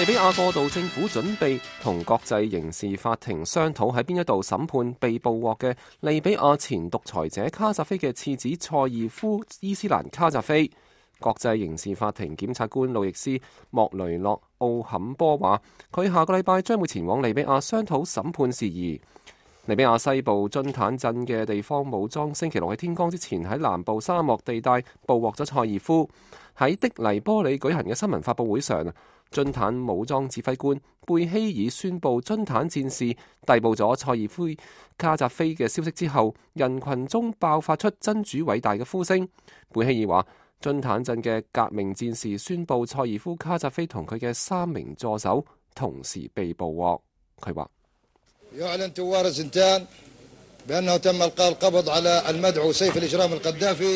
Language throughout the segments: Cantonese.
利比亞過渡政府準備同國際刑事法庭商討喺邊一度審判被捕獲嘅利比亞前獨裁者卡扎菲嘅次子塞爾夫伊斯蘭卡扎菲。國際刑事法庭檢察官路易斯莫雷諾奧坎波話，佢下個禮拜將會前往利比亞商討審判事宜。利比亞西部津坦鎮嘅地方武裝星期六喺天光之前喺南部沙漠地帶捕獲咗塞爾夫。喺的黎波里舉行嘅新聞發佈會上，津坦武裝指揮官貝希爾宣布津坦戰士逮捕咗塞爾夫卡扎菲嘅消息之後，人群中爆發出真主偉大嘅呼聲。貝希爾話，津坦鎮嘅革命戰士宣布塞爾夫卡扎菲同佢嘅3名助手同時被捕獲。佢話，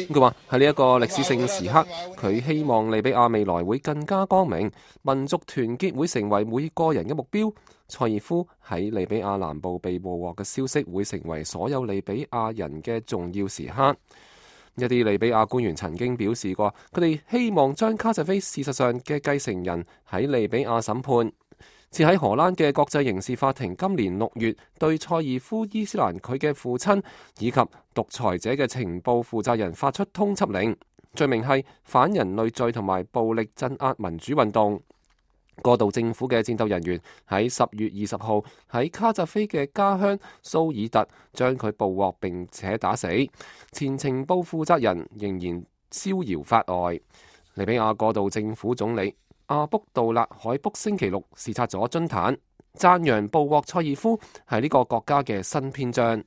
佢話喺呢一個歷史性時刻，佢希望利比亞未來會更加光明，民族團結會成為每個人嘅目標。塞爾夫喺利比亞南部被捕獲嘅消息會成為所有利比亞人嘅重要時刻。一啲利比亞官員曾經表示過，佢哋希望將卡扎菲事實上嘅繼承人喺利比亞審判。自喺荷蘭嘅國際刑事法庭今年6月對塞爾夫伊斯蘭佢嘅父親以及獨裁者嘅情報負責人發出通緝令，罪名係反人類罪同埋暴力鎮壓民主運動。過渡政府嘅戰鬥人員喺10月20號喺卡扎菲嘅家鄉蘇爾特將佢捕獲並且打死，前情報負責人仍然逍遙法外。利比亞過渡政府總理阿卜杜勒海卜星期六視察咗津坦，讚揚捕獲塞爾夫係呢個國家嘅新篇章。